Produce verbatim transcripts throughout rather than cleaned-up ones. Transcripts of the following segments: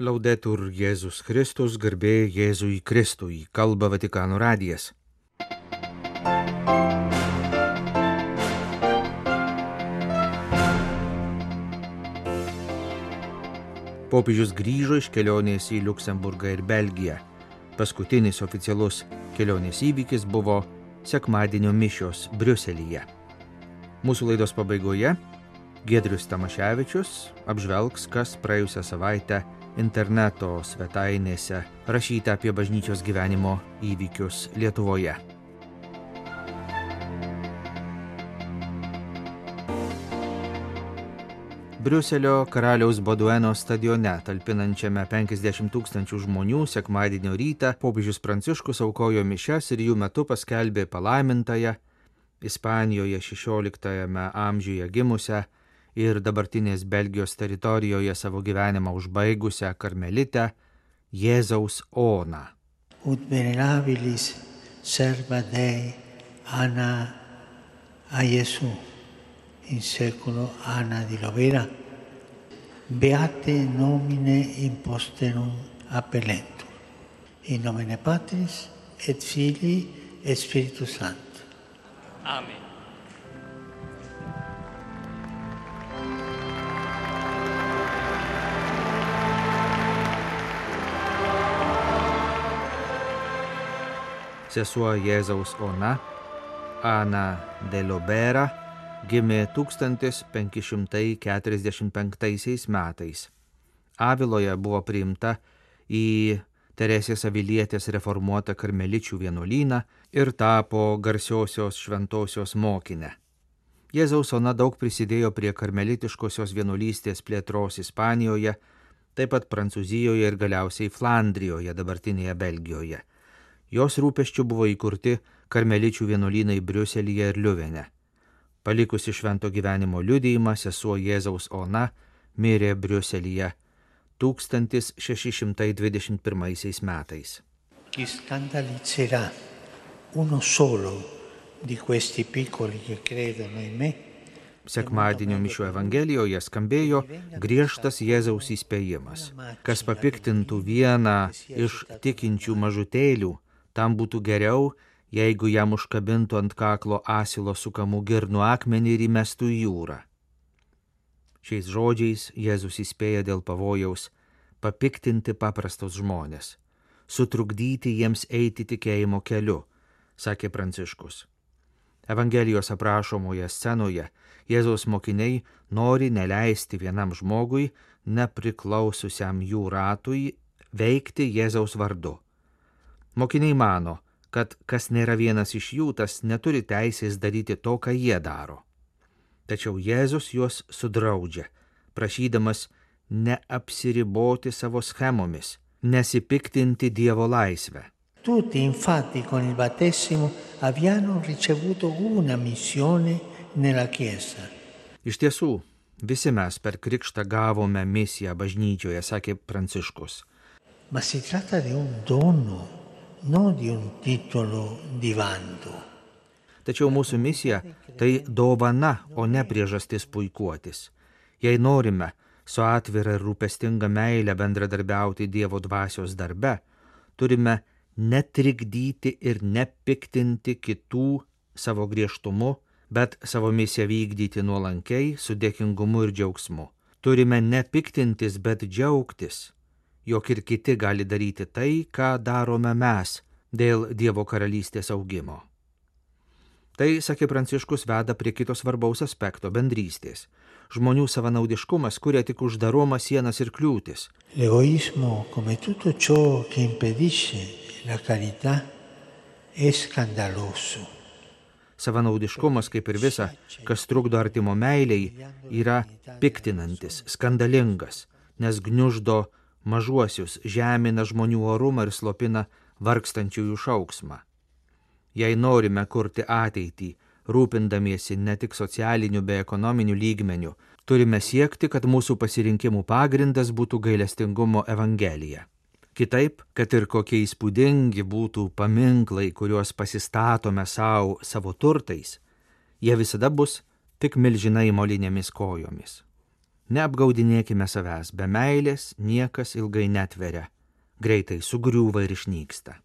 Laudetur Jėzus Kristus, garbė Jėzui Kristui, kalba Vatikano radijas. Popiežius grįžo iš kelionės į Liuksemburgą ir Belgiją. Paskutinis oficialus kelionės įvykis buvo sekmadienio mišios Briuselyje. Mūsų laidos pabaigoje Giedrius Tamaševičius apžvelgs, kas praėjusią savaitę interneto svetainėse rašyta apie bažnyčios gyvenimo įvykius Lietuvoje. Briuselio karaliaus Bodueno stadione, talpinančiame penkiasdešimt tūkstančių žmonių, sekmadienio rytą popiežius Pranciškus aukojo mišias ir jų metu paskelbė palaimintąją Ispanijoje šešioliktajame amžiuje gimusią ir dabartinės Belgijos teritorijoje savo gyvenimą užbaigusią karmelitę Jėzaus Oną. Ut venerabilis serva Dei Anna a Gesù, in seculo Anna di Lovera, beate nomine imposterum appellentur, in nomine Patris et Filii et Spiritus Sancti. Amen. Sesuo Jėzaus Ona, Ana de Lovera, gimė tūkstantis penki šimtai keturiasdešimt penktaisiais metais. Aviloje buvo priimta į Teresės Avilietės reformuotą karmeličių vienuolyną ir tapo garsiosios šventosios mokinę. Jėzaus Ona daug prisidėjo prie karmelitiškosios vienuolystės plėtros Ispanijoje, taip pat Prancūzijoje ir galiausiai Flandrijoje, dabartinėje Belgijoje. Jos rūpesčių buvo įkurti karmeličių vienuolynai Briuselyje ir Liuvene. Palikusi švento gyvenimo liudijimą, sesuo Jėzaus Ona mirė Briuselyje tūkstantis šeši šimtai dvidešimt pirmaisiais metais. Chi scandalizzerà uno solo di questi piccoli che credono in me. Sekmadienio mišių evangelijoje skambėjo griežtas Jėzaus įspėjimas. Kas papiktintų vieną iš tikinčių mažutėlių, tam būtų geriau, jeigu jam užkabintų ant kaklo asilo sukamų girnų akmenį ir įmestų į jūrą. Šiais žodžiais Jėzus įspėja dėl pavojaus papiktinti paprastus žmonės, sutrukdyti jiems eiti tikėjimo keliu, sakė Pranciškus. Evangelijos aprašomoje scenoje Jėzaus mokiniai nori neleisti vienam žmogui, nepriklausiusiam jų ratui, veikti Jėzaus vardu. Mokiniai mano, kad kas nėra vienas iš jų, tas neturi teisės daryti to, ką jie daro. Tačiau Jėzus juos sudraudžia, prašydamas neapsiriboti savo schemomis, nesipiktinti Dievo laisvę. Tutti infatti con il battesimo abbiano ricevuto una missione nella Chiesa. Iš tiesų, visi mes per krikštą gavome misiją bažnyčioje, sakė Pranciškus. Ma si tratta di un dono, non di un titolo di vanto. Tačiau mūsų misija tai dovana, o ne priežastis puikuotis. Jei norime su atvira ir rūpestinga meile bendradarbiauti Dievo dvasios darbe, turime netrikdyti ir nepiktinti kitų savo griežtumu, bet savo misiją vykdyti nuolankiai, su dėkingumu ir džiaugsmu. Turime nepiktintis, bet džiaugtis, jog ir kiti gali daryti tai, ką darome mes dėl Dievo karalystės augimo. Tai, sakė Pranciškus, veda prie kito svarbaus aspekto – bendrystės. Žmonių savanaudiškumas kuria tik uždaromą sienas ir kliūtis. L'egoismo, come tutto ciò che impedisce la carità, è scandaloso. Savanaudiškumas, kaip ir visa, kas trukdo artimo meiliai, yra piktinantis, skandalingas, nes gniuždo mažuosius, žemina žmonių orumą ir slopina vargstančiųjų šauksmą. Jei norime kurti ateitį, rūpindamiesi ne tik socialiniu bei ekonominiu lygmeniu, turime siekti, kad mūsų pasirinkimų pagrindas būtų gailestingumo evangelija. Kitaip, kad ir kokie įspūdingi būtų paminklai, kuriuos pasistatome savo, savo turtais, jie visada bus tik milžinai molinėmis kojomis. Neapgaudinėkime savęs, be meilės niekas ilgai netveria, greitai sugriūva ir išnyksta.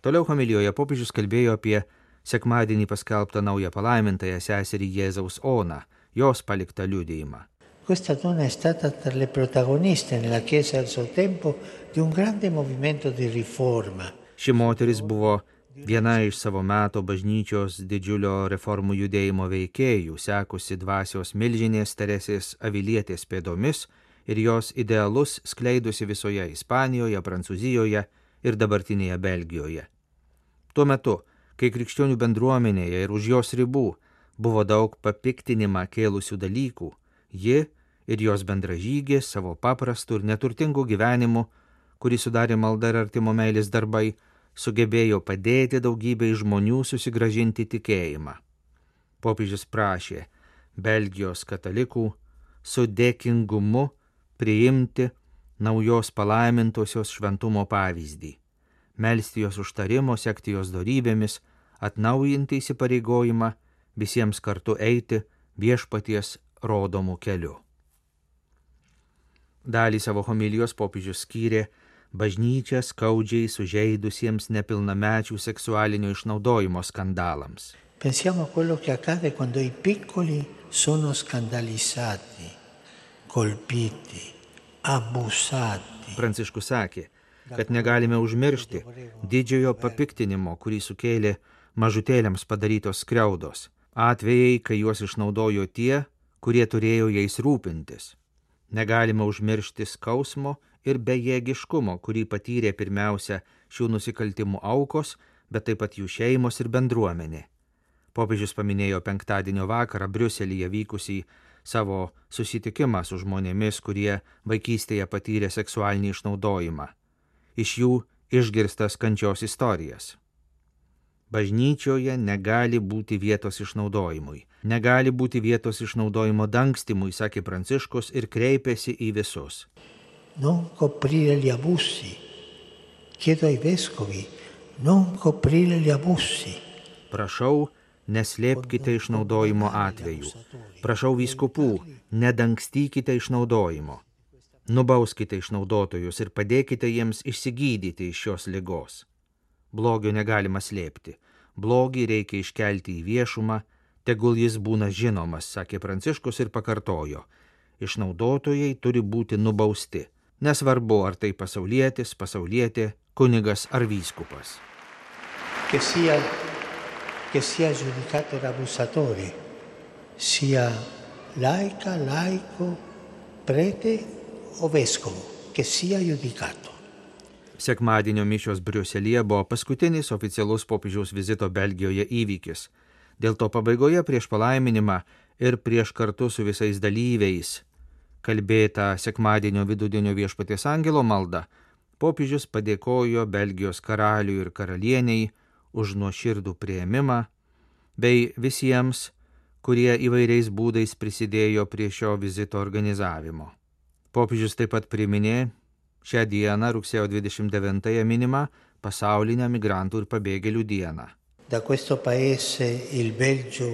Toliau homilijoje popiežius kalbėjo apie sekmadienį paskelbtą naują palaimintąją seserį Jėzaus Oną, jos paliktą liudijimą. Questa donna è stata tra le protagoniste nella Chiesa del suo tempo di un grande movimento di riforma. Ši moteris buvo viena iš savo meto bažnyčios didžiulio reformų judėjimo veikėjų, sekusi dvasios milžinės Teresės Avilietės pėdomis ir jos idealus skleidusi visoje Ispanijoje, Prancūzijoje ir dabartinėje Belgijoje. Tuo metu, kai krikščionių bendruomenėje ir už jos ribų buvo daug papiktinimą kėlusių dalykų, ji ir jos bendražygės savo paprastų ir neturtingų gyvenimų, kurį sudarė malda ir artimo meilės darbai, sugebėjo padėti daugybei žmonių susigrąžinti tikėjimą. Popiežius prašė Belgijos katalikų su dėkingumu priimti naujos palaimintosios šventumo pavyzdį, melsti jos užtarimo, sekti jos dorybėmis, atnaujinti įsipareigojimą visiems kartu eiti viešpaties rodomų keliu. Dalį savo homilijos popiežius skyrė bažnyčią skaudžiai sužeidusiems nepilnamečių seksualinio išnaudojimo skandalams. Pensiamo a quello che accade quando i piccoli sono scandalizzati, colpiti, abusati. Pranciškus sakė, kad negalime užmiršti didžiojo papiktinimo, kurį sukėlė mažutėliams padarytos skriaudos, atvejai, kai juos išnaudojo tie, kurie turėjo jais rūpintis. Negalime užmiršti skausmo ir bejėgiškumo, kurį patyrė pirmiausia šių nusikaltimų aukos, bet taip pat jų šeimos ir bendruomenė. Popiežius paminėjo penktadienio vakarą Briuselyje vykusį savo susitikimą su žmonėmis, kurie vaikystėje patyrė seksualinį išnaudojimą. Iš jų išgirstas kančios istorijas. Bažnyčioje negali būti vietos išnaudojimui. Negali būti vietos išnaudojimo dangstimui, sakė Pranciškus ir kreipėsi į visus. Non coprire gli abusi. Chiedo ai vescovi, non coprire gli abusi. Prašau, neslėpkite išnaudojimo atvejų. Prašau vyskupų, nedangstykite išnaudojimo. Nubauskite išnaudotojus ir padėkite jiems išsigydyti iš šios ligos. Blogio negalima slėpti. Blogį reikia iškelti į viešumą, tegul jis būna žinomas, sakė Pranciškus ir pakartojo. Išnaudotojai turi būti nubausti. Nesvarbu, ar tai pasaulietis, pasaulietė, kunigas ar vyskupas. Che sia, che sia giudicato l'abusatore, sia laica, laico, prete o vescovo, che sia giudicato. Sekmadienio mišios Briuselyje buvo paskutinis oficialus popiežiaus vizito Belgijoje įvykis. Dėl to pabaigoje prieš palaiminimą ir prieš kartu su visais dalyviais kalbėtą sekmadienio vidudienio viešpaties angelo maldą, popiežius padėkojo Belgijos karaliui ir karalieniai už nuoširdų priėmimą bei visiems, kurie įvairiais būdais prisidėjo prie šio vizito organizavimo. Popiežius taip pat priminė šią dieną, rugsėjo dvidešimt devintąją minimą, pasaulinę migrantų ir pabėgėlių dieną. Da questo paese, il Belgio,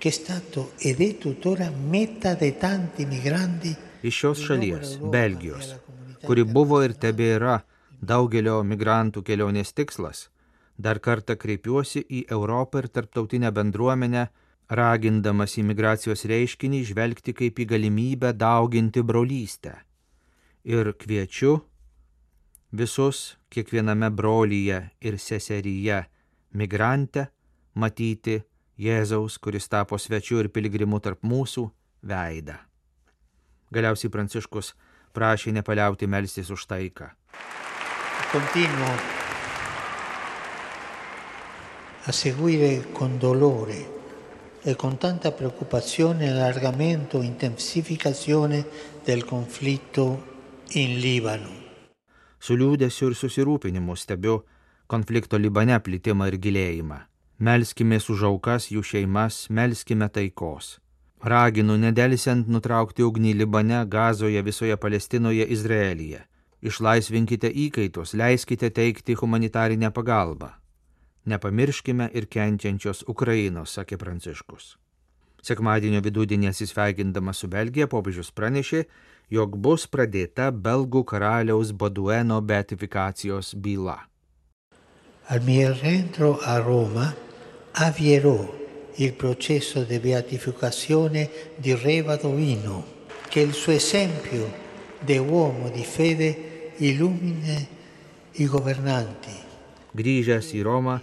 che è stato ed è tuttora meta di tanti migranti. Iš šios šalies, Belgijos, kuri buvo ir tebėra daugelio migrantų kelionės tikslas, dar kartą kreipiuosi į Europą ir tarptautinę bendruomenę, ragindamas imigracijos reiškinį žvelgti kaip į galimybę dauginti brolystę. Ir kviečiu visus kiekviename brolyje ir seseryje migrantę matyti Jėzaus, kuris tapo svečiu ir piligrimu tarp mūsų, veidą. Galiausiai Pranciškus prašė nepaliauti melstis už taiką. Continuo a seguire con dolore e con tanta preoccupazione l'allargamento e intensificazione del conflitto in Libano. Su liūdesiu ir susirūpinimu stebiu konflikto Libane plitimą ir gilėjimą. Melskime už aukas, jų šeimas, melskime taikos. Raginu nedelsiant nutraukti ugnį Libane, Gazoje, visoje Palestinoje, Izraelyje. Išlaisvinkite įkaitus, leiskite teikti humanitarinę pagalbą. Nepamirškime ir kenčiančios Ukrainos, sakė Pranciškus. Sekmadienio vidudienį atsisveikindamas su Belgija, popiežius pranešė, jog bus pradėta belgų karaliaus Bodueno beatifikacijos byla. Al mio rientro a Roma avvierò il processo di beatificazione di Re Badoino, che il suo esempio di uomo di fede illumina i governanti. Grįžęs į Romą,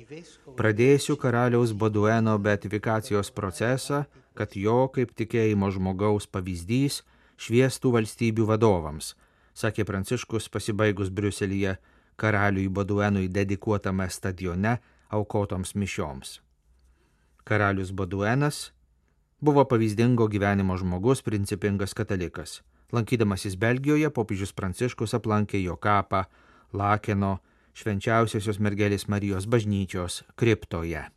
pradėsiu karaliaus Bodueno beatifikacijos procesą, kad jo kaip tikėjimo žmogaus pavyzdys šviestų valstybių vadovams, sakė Pranciškus pasibaigus Briuselyje karaliui Boduenui dedikuotame stadione aukotoms mišioms. Karalius Boduenas buvo pavyzdingo gyvenimo žmogus, principingas katalikas. Lankydamasis Belgijoje, popiežius Pranciškus aplankė jo kapą Lakeno Švenčiausiosios mergelės Marijos bažnyčios kriptoje.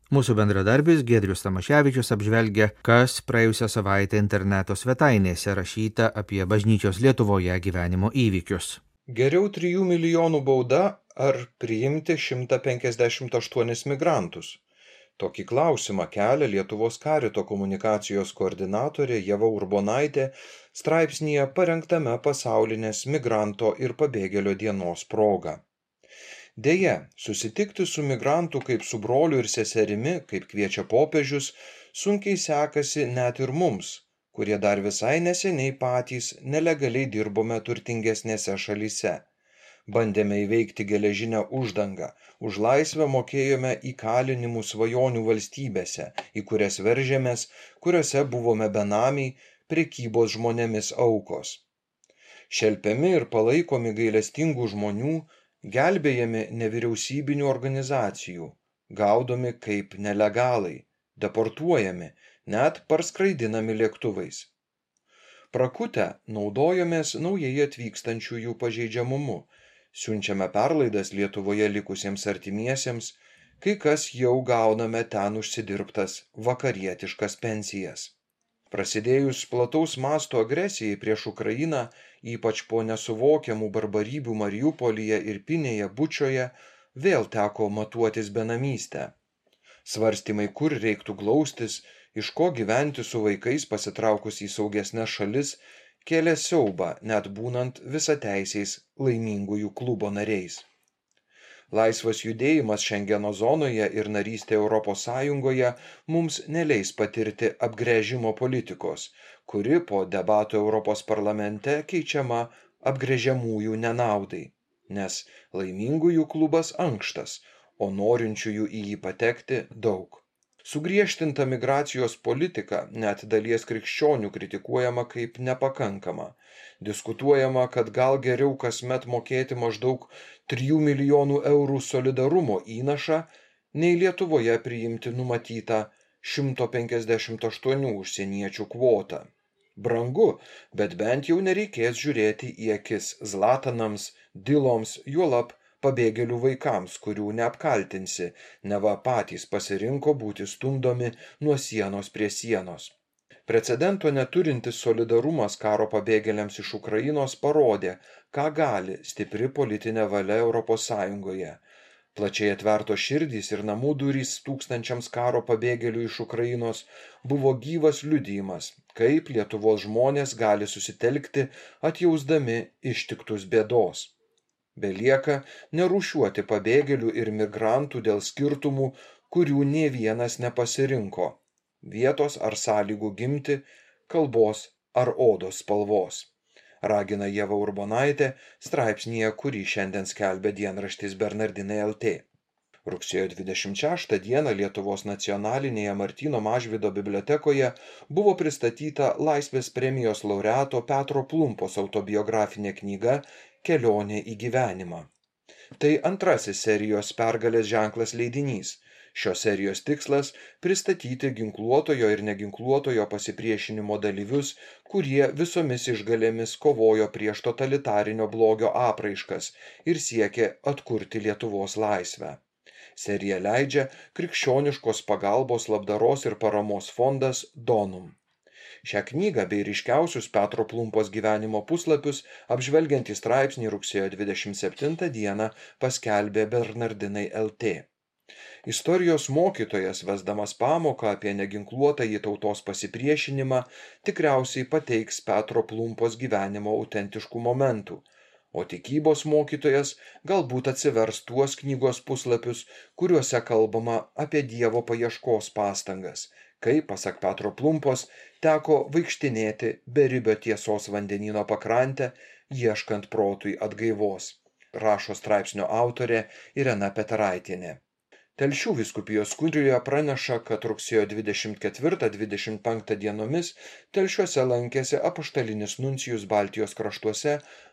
Mūsų bendradarbis Giedrius Tamaševičius apžvelgia, kas praėjusią savaitę interneto svetainėse rašyta apie bažnyčios Lietuvoje gyvenimo įvykius. Geriau trijų milijonų bauda ar priimti šimtą penkiasdešimt aštuonis migrantus? Tokį klausimą kelia Lietuvos karito komunikacijos koordinatorė Ieva Urbonaitė straipsnyje parengtame pasaulinės migranto ir pabėgėlio dienos proga. Deja, susitikti su migrantu kaip su broliu ir seserimi, kaip kviečia popiežius, sunkiai sekasi net ir mums, kurie dar visai neseniai patys nelegaliai dirbome turtingesnėse šalyse. Bandėme įveikti geležinę uždangą, už laisvę mokėjome įkalinimų svajonių valstybėse, į kurias veržėmės, kuriuose buvome benamiai, prekybos žmonėmis aukos. Šelpiami ir palaikomi gailestingų žmonių, gelbėjami nevyriausybinių organizacijų, gaudomi kaip nelegalai, deportuojami, net parskraidinami lėktuvais. Prakutę naudojomės naujai atvykstančiųjų pažeidžiamumu, siunčiame perlaidas Lietuvoje likusiems artimiesiems, kai kas jau gauname ten užsidirbtas vakarietiškas pensijas. Prasidėjus plataus masto agresijai prieš Ukrainą, ypač po nesuvokiamų barbarybių Mariupolyje ir Pinėje Bučioje, vėl teko matuotis benamystę. Svarstymai, kur reiktų glaustis, iš ko gyventi su vaikais pasitraukus į saugesnes šalis, kėlė siaubą, net būnant visateisiais laimingųjų klubo nariais. Laisvas judėjimas Šengeno zonoje ir narystė Europos Sąjungoje mums neleis patirti apgręžimo politikos, kuri po debatų Europos parlamente keičiama apgręžiamųjų nenaudai, nes laimingųjų klubas ankštas, o norinčiųjų į jį patekti daug. Sugriežtinta migracijos politika net dalies krikščionių kritikuojama kaip nepakankama. Diskutuojama, kad gal geriau kasmet mokėti maždaug trijų milijonų eurų solidarumo įnašą, nei Lietuvoje priimti numatytą šimto penkiasdešimt aštuonių užsieniečių kvotą. Brangu, bet bent jau nereikės žiūrėti į akis Zlatanams, Diloms, juolab pabėgėlių vaikams, kurių neapkaltinsi, neva patys pasirinko būti stumdomi nuo sienos prie sienos. Precedento neturintis solidarumas karo pabėgėliams iš Ukrainos parodė, ką gali stipri politinė valia Europos Sąjungoje. Plačiai atvertos širdys ir namų durys tūkstančiams karo pabėgėlių iš Ukrainos buvo gyvas liudijimas, kaip Lietuvos žmonės gali susitelkti atjausdami ištiktus bėdos. Belieka nerūšiuoti pabėgėlių ir migrantų dėl skirtumų, kurių nė vienas nepasirinko – vietos ar sąlygų gimti, kalbos ar odos spalvos. Ragina Ieva Urbonaitė straipsnyje, kurį šiandien skelbia dienraštis Bernardinai L T. Rugsėjo dvidešimt šeštą dieną Lietuvos nacionalinėje Martyno Mažvydo bibliotekoje buvo pristatyta Laisvės premijos laureato Petro Plumpos autobiografinė knyga Kelionė į gyvenimą. Tai antrasis serijos Pergalės ženklas leidinys. Šios serijos tikslas – pristatyti ginkluotojo ir neginkluotojo pasipriešinimo dalyvius, kurie visomis išgalėmis kovojo prieš totalitarinio blogio apraiškas ir siekė atkurti Lietuvos laisvę. Seriją leidžia Krikščioniškos pagalbos labdaros ir paramos fondas Donum. Šią knygą bei ryškiausius Petro Plumpos gyvenimo puslapius apžvelgiantį straipsnį rugsėjo dvidešimt septintą dieną paskelbė Bernardinai L T. Istorijos mokytojas, vesdamas pamoką apie neginkluotąjį tautos pasipriešinimą, tikriausiai pateiks Petro Plumpos gyvenimo autentiškų momentų, o tikybos mokytojas galbūt atsivers tuos knygos puslapius, kuriuose kalbama apie Dievo paieškos pastangas, kai, pasak Petro Plumpos, teko vaikštinėti beribio tiesos vandenyno pakrantę, ieškant protui atgaivos, rašo straipsnio autorė Irena Peteraitienė. Telšių vyskupijos kurijoje praneša, kad rugsėjo dvidešimt ketvirtą dvidešimt penktą dienomis Telšiuose lankėsi apaštalinis nuncijus Baltijos kraštuose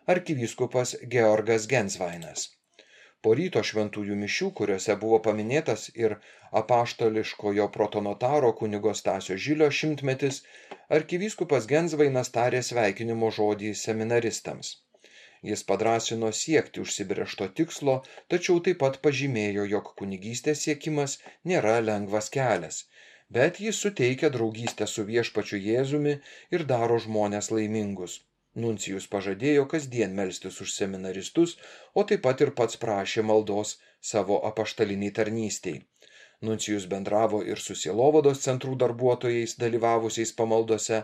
arkivyskupas Georgas Gensvainas. Po ryto šventųjų mišių, kuriuose buvo paminėtas ir apaštališkojo protonotaro kunigo Stasio Žilio šimtmetis, arkivyskupas Gensvainas tarė sveikinimo žodį seminaristams. Jis padrąsino siekti užsibrėžto tikslo, tačiau taip pat pažymėjo, jog kunigystės siekimas nėra lengvas kelias, bet jis suteikia draugystę su viešpačiu Jėzumi ir daro žmones laimingus. Nuncijus pažadėjo kasdien melstis už seminaristus, o taip pat ir pats prašė maldos savo apaštaliniai tarnystei. Nuncijus bendravo ir su sielovados centrų darbuotojais dalyvavusiais pamaldose,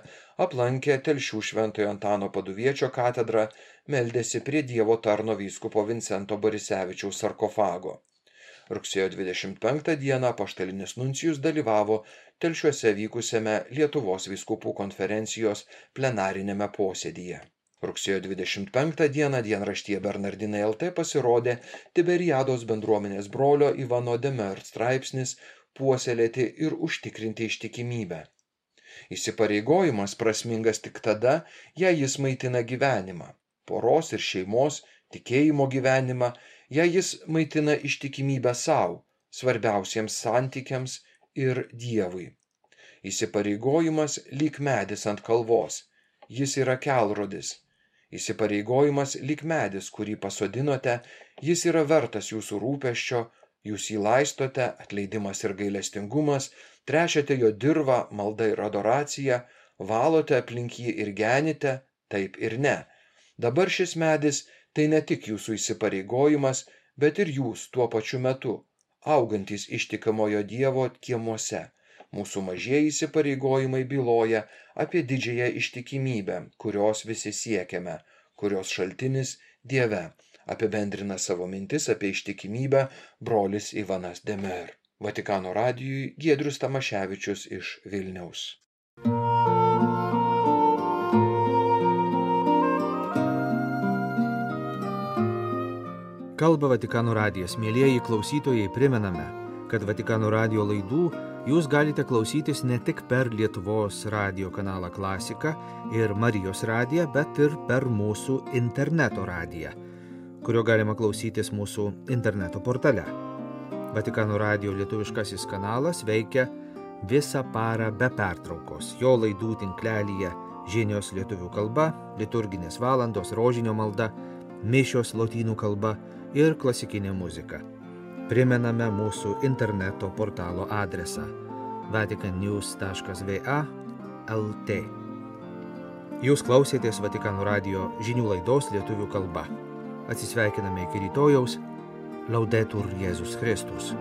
aplankė Telšių Šventojo Antano Paduviečio katedrą, meldėsi prie Dievo tarno vyskupo Vincento Borisevičiaus sarkofago. Rugsėjo dvidešimt penktą dieną apaštalinis nuncijus dalyvavo Telšiuose vykusiame Lietuvos vyskupų konferencijos plenarinėme posėdyje. Rugsėjo dvidešimt penktą dieną dienraštyje Bernardinai L T pasirodė Tiberiados bendruomenės brolio Ivano Demer straipsnis Puoselėti ir užtikrinti ištikimybę. Įsipareigojimas prasmingas tik tada, jei jis maitina gyvenimą, poros ir šeimos, tikėjimo gyvenimą, jei jis maitina ištikimybę savo, svarbiausiems santykiams ir Dievui. Įsipareigojimas lyg medis ant kalvos, jis yra kelrodis. Įsipareigojimas lyg medis, kurį pasodinote, jis yra vertas jūsų rūpesčio, jūs jį laistote, atleidimas ir gailestingumas, trešiate jo dirvą, malda ir adoracija, valote aplink jį ir genite, taip ir ne. Dabar šis medis tai ne tik jūsų įsipareigojimas, bet ir jūs tuo pačiu metu, augantys ištikamojo Dievo kiemuose. Mūsų mažieji įsipareigojimai byloja apie didžiąją ištikimybę, kurios visi siekiame, kurios šaltinis Dieve, apibendrina savo mintis apie ištikimybę brolis Ivanas Demer. Vatikano radijui Giedrius Tamaševičius iš Vilniaus. Kalba Vatikano radijas. Mielieji klausytojai, primename, kad Vatikano radijo laidų jūs galite klausytis ne tik per Lietuvos radijo kanalą Klasika ir Marijos radiją, bet ir per mūsų interneto radiją, kurio galima klausytis mūsų interneto portale. Vatikano radijo lietuviškasis kanalas veikia visą parą be pertraukos. Jo laidų tinklelyje žinios lietuvių kalba, liturginės valandos, rožinio malda, mišios lotynų kalba ir klasikinė muzika. Primename mūsų interneto portalo adresą vatican news taškas v a taškas l t. Jūs klausėtės Vatikano radijo žinių laidos lietuvių kalba. Atsisveikiname iki rytojaus. Laudetur Jėzus Kristus.